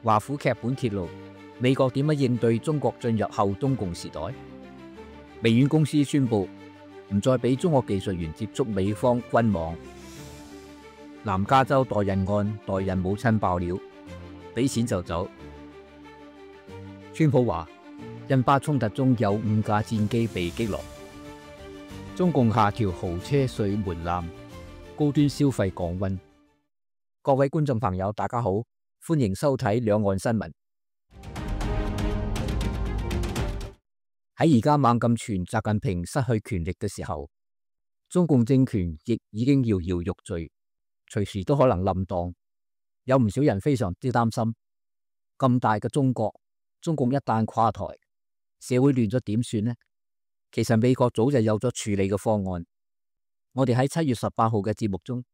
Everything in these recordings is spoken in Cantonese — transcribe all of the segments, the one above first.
華府劇本揭露美國點樣應對中國進入後中共時代。微軟公司宣布唔再俾中國技術員接觸美方軍網。南加州代孕案代孕母親爆料，俾錢就走。川普話印巴衝突中有5架戰機被擊落。中共下調豪車稅門檻，高端消費降溫。各位觀眾朋友，大家好，歡迎收睇兩岸新聞。喺而家猛咁傳習近平失去權力嘅時候，中共政權亦已經搖搖欲墜，隨時都可能冧檔。有唔少人非常之擔心，咁大嘅中國，中共一旦垮台，社會亂咗點算呢？其實美國早就有咗處理嘅方案。我哋喺7月18號嘅節目中，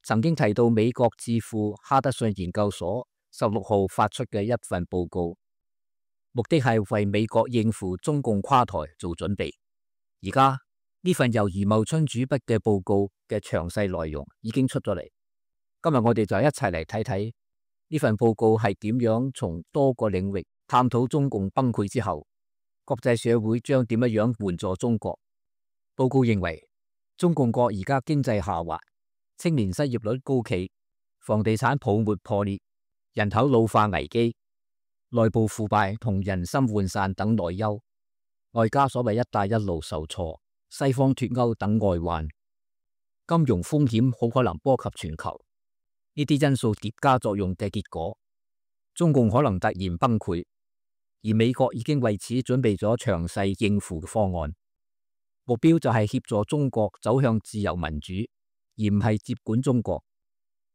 曾經提到美國智庫哈德遜研究所16號發出嘅一份報告，目的係為美國應付中共垮台做準備。而家呢份由余茂春主筆嘅報告嘅詳細內容已經出咗嚟。今日我哋就一齊嚟睇睇呢份報告係點樣從多個領域探討中共崩潰之後，國際社會將點樣援助中國。報告認為，中共國而家經濟下滑，青年失業率高企，房地產泡沫破裂，人口老化危機，內部腐敗同人心渙散等內憂，外加所謂一帶一路受挫，西方脫歐等外患，金融風險好可能波及全球。呢啲因素疊加作用嘅結果，中共可能突然崩潰，而美國已經為此準備咗詳細應付嘅方案，目標就係協助中國走向自由民主，而唔係接管中國。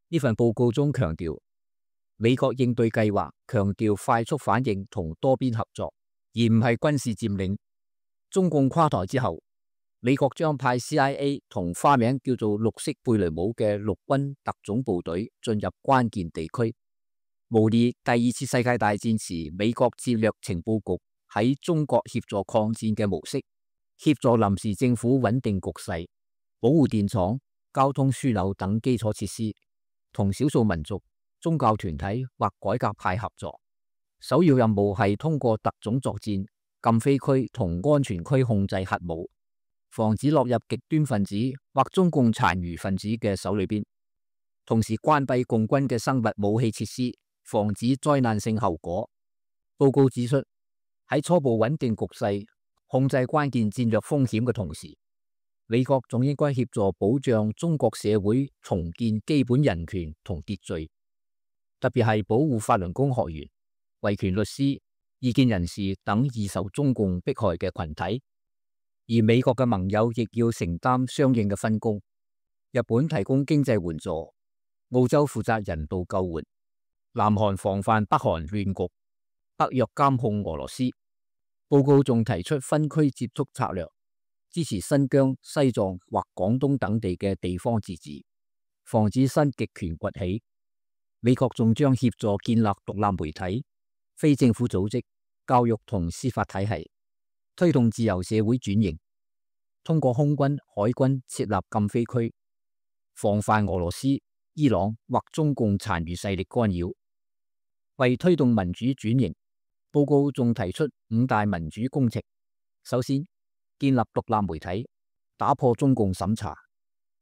呢份報告中強調，美國應對計劃強調快速反應同多邊合作，而唔係軍事佔領。中共垮台之後，美國將派 CIA 同花名叫做綠色貝雷帽嘅陸軍特種部隊進入關鍵地區，模擬第2次世界大戰時美國戰略情報局喺中國協助抗戰嘅模式，協助臨時政府穩定局勢，保護電廠、交通樞紐等基礎設施，同少數民族、宗教團體或改革派合作。首要任務係通過特種作戰、禁飛區同安全區控制核武，防止落入極端分子或中共殘餘分子嘅手裏邊，同時關閉共軍嘅生物武器設施，防止災難性後果。報告指出，喺初步穩定局勢、控制關鍵戰略風險嘅同時，美國仲應該協助保障中國社會重建基本人權同秩序，特別係保護法輪功學員、維權律師、異見人士等易受中共迫害嘅群體。而美國嘅盟友亦要承擔相應嘅分工，日本提供經濟援助，澳洲負責人道救援，南韓防範北韓亂局，北約監控俄羅斯。報告仲提出分區接觸策略，支持新疆、西藏或廣東等地嘅地方自治，防止新極權崛起。美國仲將協助建立獨立媒體、非政府組織、教育同司法體系，推動自由社會轉型，通過空軍、海軍設立禁飛區，防範俄羅斯、伊朗或中共殘餘勢力干擾。為推動民主轉型，報告仲提出5大民主工程。首先，建立獨立媒體，打破中共審查，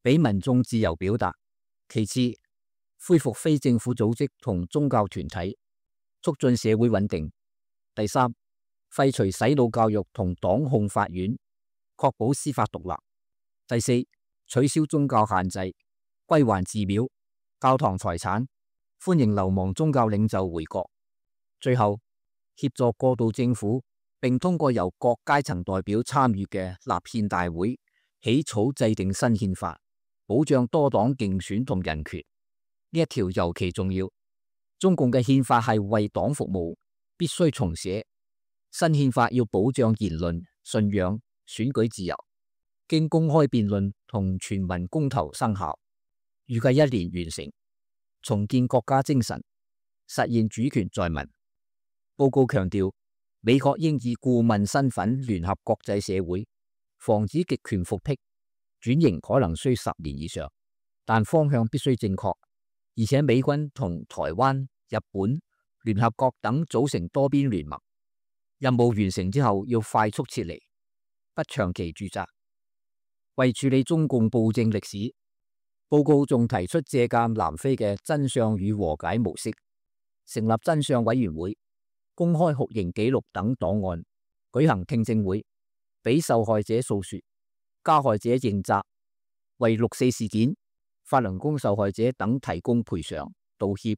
俾民眾自由表達。其次，恢復非政府組織同宗教團體，促進社會穩定。第三，廢除洗腦教育同黨控法院，確保司法獨立。第四，取消宗教限制，歸還寺廟、教堂財產，歡迎流亡宗教領袖回國。最後，協助過渡政府，並通過由各階層代表參與嘅立憲大會起草制定新憲法，保障多黨競選同人權。呢一條尤其重要。中共嘅憲法係為黨服務，必須重寫。新憲法要保障言論、信仰、選舉自由，經公開辯論同全民公投生效，預計1年完成，重建國家精神，實現主權在民。報告強調，美國應以顧問身份聯合國際社會，防止極權復辟。轉型可能需10年以上，但方向必須正確，而且美軍同台灣、日本、聯合國等組成多邊聯盟，任務完成之後要快速撤離，不長期駐紮。為處理中共暴政歷史，報告仲提出借鑒南非嘅真相與和解模式，成立真相委員會，公開酷刑記錄等檔案，舉行聽證會，俾受害者訴說，加害者認責，為6·4事件、法輪功受害者等提供賠償、道歉、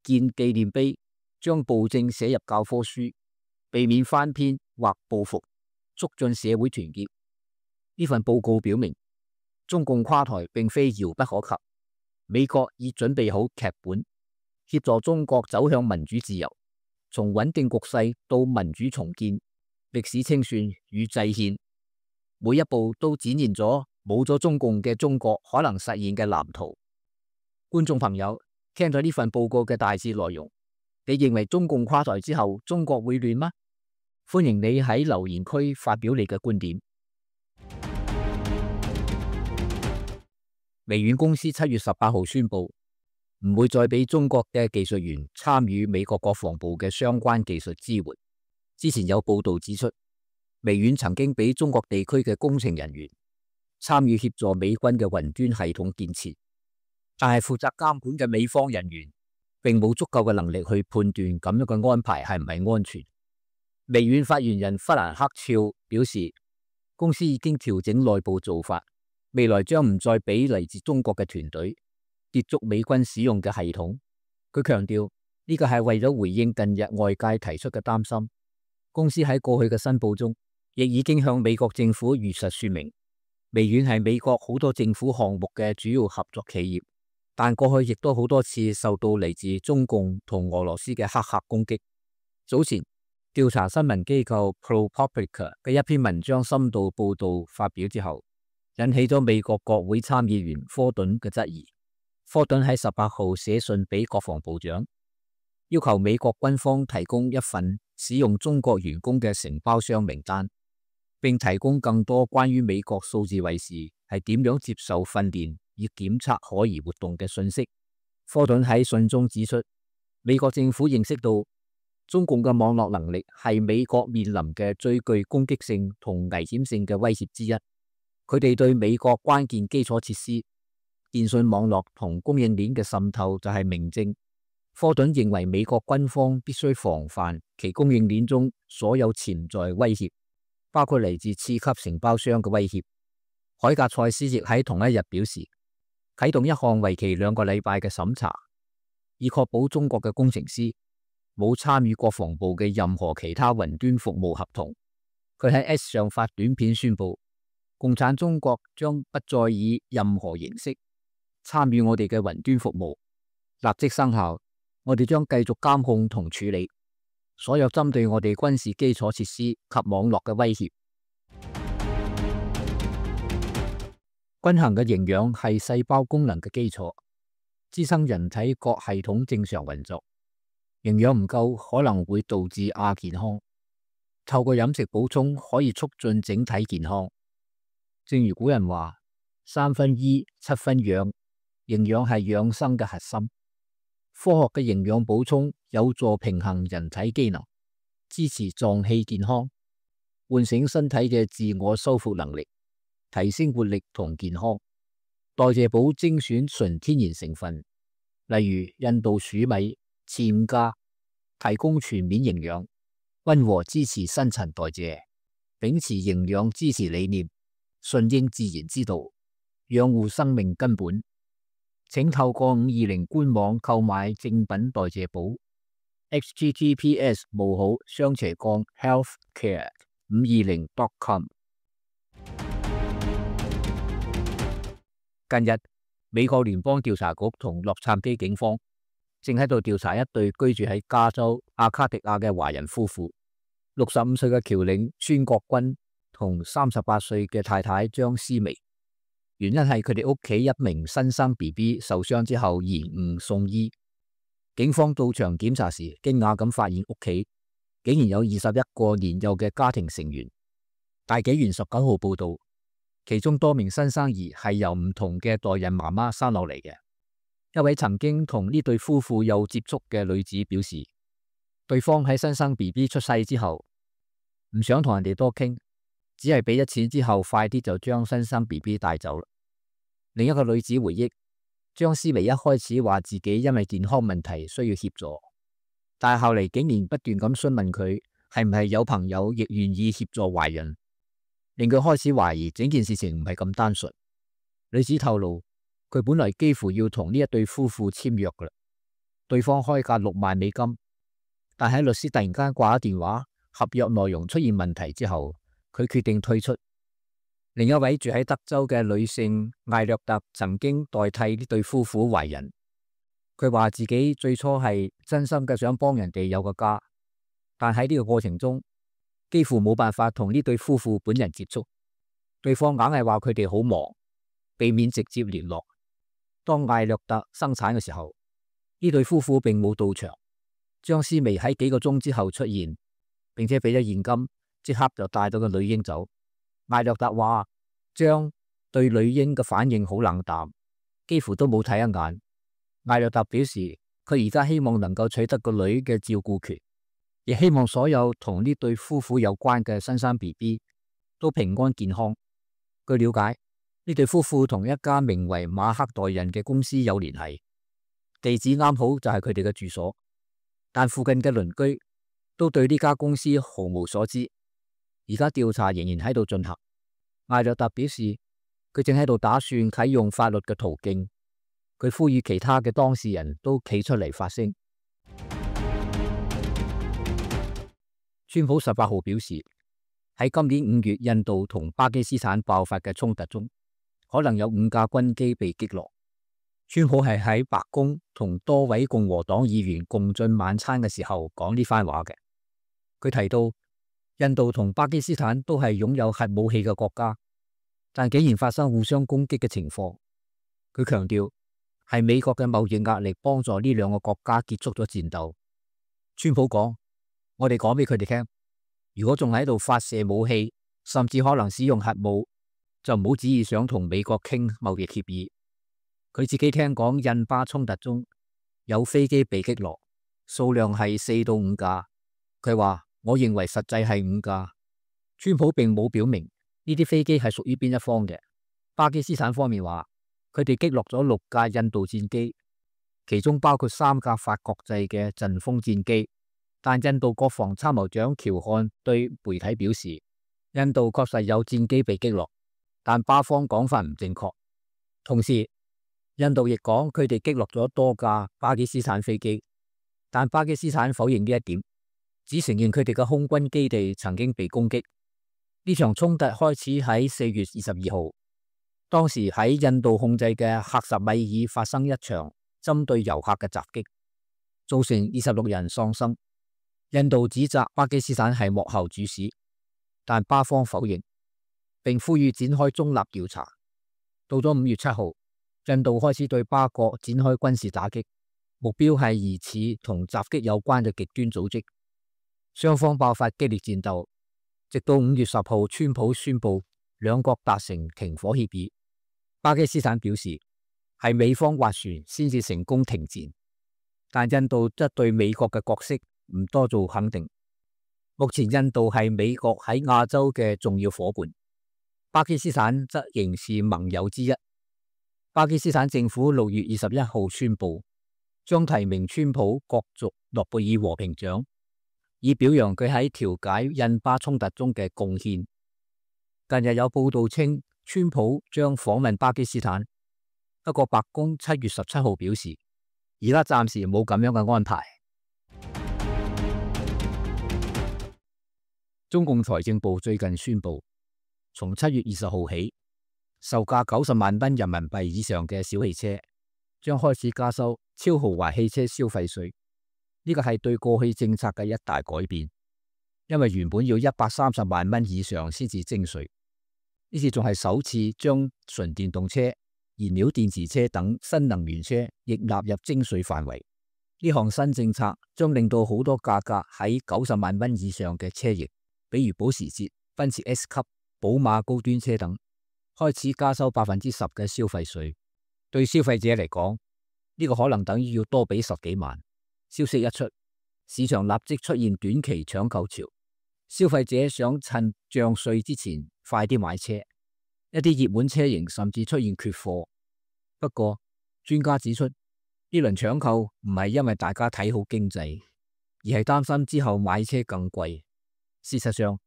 建紀念碑，將暴政寫入教科書，避免翻篇或報復，促進社會團結。呢份報告表明，中共垮台並非遙不可及，美國已準備好劇本，協助中國走向民主自由，從穩定局勢到民主重建、歷史清算與制憲，每一步都展現咗冇咗中共嘅中國可能實現嘅藍圖。觀眾朋友，聽咗呢份報告嘅大致內容，你認為中共垮台之後，中國會亂嗎？歡迎你喺留言區發表你嘅觀點。微軟公司7月18號宣布，唔會再俾中國嘅技術員參與美國國防部嘅相關技術支援。之前有報道指出，微軟曾經俾中國地區嘅工程人員參與協助美軍嘅雲端系統建設，但係負責監管嘅美方人員並冇足夠嘅能力去判斷咁樣嘅安排係唔係安全。微軟發言人弗蘭克肖表示，公司已經調整內部做法，未來將唔再俾嚟自中國嘅團隊接觸美軍使用嘅系統。佢強調呢個係為咗回應近日外界提出嘅擔心。公司喺過去嘅申報中，亦已經向美國政府如實說明，微軟係美國好多政府項目嘅主要合作企業，但過去亦都好多次受到嚟自中共同俄羅斯嘅黑客攻擊。早前調查新聞機構 ProPublica 嘅一篇文章深度報道發表之後，引起咗美國國會參議員科頓嘅質疑。科頓喺18號寫信俾國防部長，要求美國軍方提供一份使用中國員工嘅承包商名單，並提供更多關於美國數字衛士係點樣接受訓練以檢測可疑活動嘅信息。科頓喺信中指出，美國政府認識到中共嘅網絡能力係美國面臨嘅最具攻擊性同危險性嘅威脅之一。佢哋對美國關鍵基礎設施、電信網絡同供應鏈嘅滲透就係明證。科頓認為美國軍方必須防範其供應鏈中所有潛在威脅，包括嚟自次級承包商嘅威脅。海格賽斯亦喺同一日表示，啟動一項為期2個禮拜嘅審查，以確保中國嘅工程師冇參與國防部嘅任何其他雲端服務合同。佢喺 X 上發短片宣布，共產中國將不再以任何形式參與我哋嘅雲端服務，立即生效。我哋將繼續監控同處理所有針對我哋軍事基礎設施及網絡嘅威脅。均衡嘅營養係細胞功能嘅基礎，支撐人體各系統正常運作。營養唔夠可能會導致亞健康，透過飲食補充可以促進整體健康。正如古人話：3分醫，7分養，營養係養生嘅核心。科學嘅營養補充有助平衡人體機能，支持臟器健康，喚醒身體嘅自我修復能力，提升活力同健康。代謝寶精選純天然成分，例如印度黍米、暹加，提供全面營養，溫和支持新陳代謝，秉持營養支持理念，順應自然之道，養護生命根本。請透過520官網購買正品代謝寶 https://healthcare520.com。近日，美國聯邦調查局同洛杉磯警方正喺度調查一對居住喺加州阿卡迪亞嘅華人夫婦，65歲嘅僑領孫國軍同38歲嘅太太張思薇。原因係佢哋屋企一名新生 BB 受傷之後延誤送醫。警方到場檢查時，驚訝咁發現屋企竟然有21個年幼嘅家庭成員。大紀元19號報道，其中多名新生兒係由唔同嘅代孕媽媽生落嚟嘅。一位曾經同呢對夫婦有接觸嘅女子表示，對方喺新生 BB 出世之後，唔想同人哋多傾，只係俾咗錢之後，快啲就將新生 BB 帶走啦。另一個女子回憶，張思薇一開始話自己因為健康問題需要協助，但係後嚟竟然不斷咁詢問佢係唔係有朋友亦願意協助懷孕，令佢開始懷疑整件事情唔係咁單純。女子透露，佢本來幾乎要同呢一對夫婦簽約噶啦，對方開價6萬美金，但喺律師突然間掛咗電話，合約內容出現問題之後，佢決定退出。另一位住喺德州嘅女性艾略特曾經代替呢對夫婦懷孕，佢話自己最初係真心嘅想幫人哋有個家，但喺呢個過程中幾乎冇辦法同呢對夫婦本人接觸，對方硬係話佢哋好忙，避免直接聯絡。當艾略特生產嘅時候，呢對夫婦並冇到場，張思薇喺幾個鐘之後出現，並且俾咗現金，即刻就帶到個女嬰走。艾略特話張對女嬰嘅反應好冷淡，幾乎都冇睇一眼。艾略特表示佢而家希望能夠取得個女嘅照顧權，亦希望所有同呢對夫婦有關嘅新生 BB 都平安健康。據了解，呢對夫婦同一家名為馬克代人嘅公司有聯繫，地址啱好就係佢哋嘅住所，但附近嘅鄰居都對呢家公司毫無所知。而家調查仍然喺度進行。艾略特表示，佢正喺度打算啟用法律嘅途徑。佢呼籲其他嘅當事人都企出嚟發聲。川普18號表示，喺今年5月印度同巴基斯坦爆發嘅衝突中，可能有5架軍機被擊落。川普係喺白宮同多位共和黨議員共進晚餐嘅時候講呢番話嘅。佢提到，印度同巴基斯坦都係擁有核武器嘅國家，但竟然發生互相攻擊嘅情況。佢強調係美國嘅貿易壓力幫助呢兩個國家結束咗戰鬥。川普講，我哋講俾佢哋聽，如果仲喺度發射武器，甚至可能使用核武，就唔好旨意想同美國傾貿易協議。佢自己聽講印巴衝突中有飛機被擊落，數量係4到5架。佢話，我認為實際係5架。川普並冇表明呢啲飛機係屬於邊一方嘅。巴基斯坦方面話，佢哋擊落咗6架印度戰機，其中包括3架法國製嘅陣風戰機。但印度國防參謀長喬漢對媒體表示，印度確實有戰機被擊落，但巴方講法唔正確。同時，印度亦講佢哋擊落咗多架巴基斯坦飛機，但巴基斯坦否認呢一點，只承認佢哋嘅空軍基地曾經被攻擊。呢場衝突開始喺4月22號，當時喺印度控制嘅克什米爾發生一場針對遊客嘅襲擊，造成26人喪生。印度指責巴基斯坦係幕後主使，但巴方否認，並呼籲展開中立調查。到咗5月7號，印度開始對巴國展開軍事打擊，目標係疑似同襲擊有關嘅極端組織。雙方爆發激烈戰鬥，直到5月10號，川普宣布兩國達成停火協議。巴基斯坦表示係美方斡旋先至成功停戰，但印度則對美國嘅角色唔多做肯定。目前印度係美國喺亞洲嘅重要夥伴，巴基斯坦則仍是盟友之一。巴基斯坦政府6月21號宣布，將提名川普角逐諾貝爾和平獎，以表揚佢喺調解印巴衝突中嘅貢獻。近日有報道稱，川普將訪問巴基斯坦，不過白宮7月17號表示，而家暫時冇咁樣嘅安排。中共財政部最近宣布，從7月20號起，售價90萬蚊人民幣以上嘅小汽車將開始加收超豪華汽車消費稅。呢個係對過去政策嘅一大改變，因為原本要130萬蚊以上先至徵稅，呢次仲係首次將純電動車、燃料電池車等新能源車亦納入徵稅範圍。呢項新政策將令到好多價格喺90萬蚊以上嘅車型，比如保時捷、奔馳 S 級、寶馬高端車等，開始加收10%嘅消費稅。對消費者嚟講，呢個可能等於要多俾10幾萬。消息一出，市場立即出現短期搶購潮，消費者想趁漲稅之前快啲買車，一啲熱門車型甚至出現缺貨。不過，專家指出，呢輪搶購唔係因為大家睇好經濟，而係擔心之後買車更貴。事實上，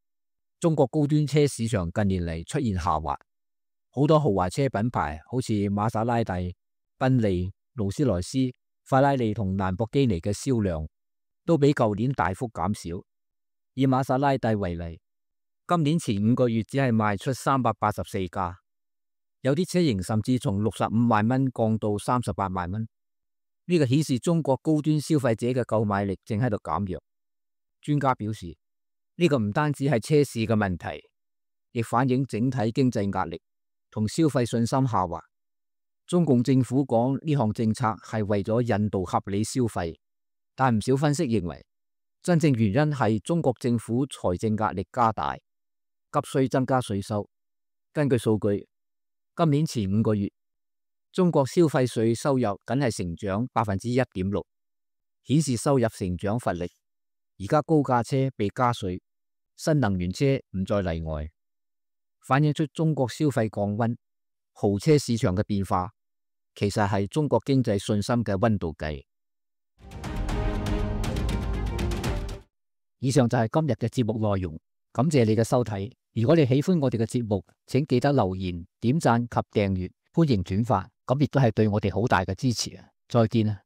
中國高端車市場近年嚟出現下滑，好多豪華車品牌好似瑪莎拉蒂、賓利、勞斯萊斯、法拉利同蘭博基尼嘅銷量都比舊年大幅減少。以瑪莎拉蒂為例，今年前5個月只係賣出384架，有啲車型甚至從65萬蚊降到38萬蚊。呢個顯示中國高端消費者嘅購買力正喺度減弱。專家表示，呢個唔單止係車市嘅問題，亦反映整體經濟壓力同消費信心下滑。中共政府講呢項政策係為咗引導合理消費，但唔少分析認為，真正原因係中國政府財政壓力加大，急需增加稅收。根據數據，今年前5個月，中國消費稅收入僅係成長1.6%，顯示收入成長乏力。而家高價車被加稅，新能源車唔再例外，反映出中國消費降溫。豪車市場嘅變化，其實係中國經濟信心嘅溫度計。以上就係今日嘅節目內容，感謝你嘅收睇。如果你喜歡我哋嘅節目，請記得留言、點讚及訂閱，歡迎轉發，咁亦都係對我哋好大嘅支持啊！再見啊！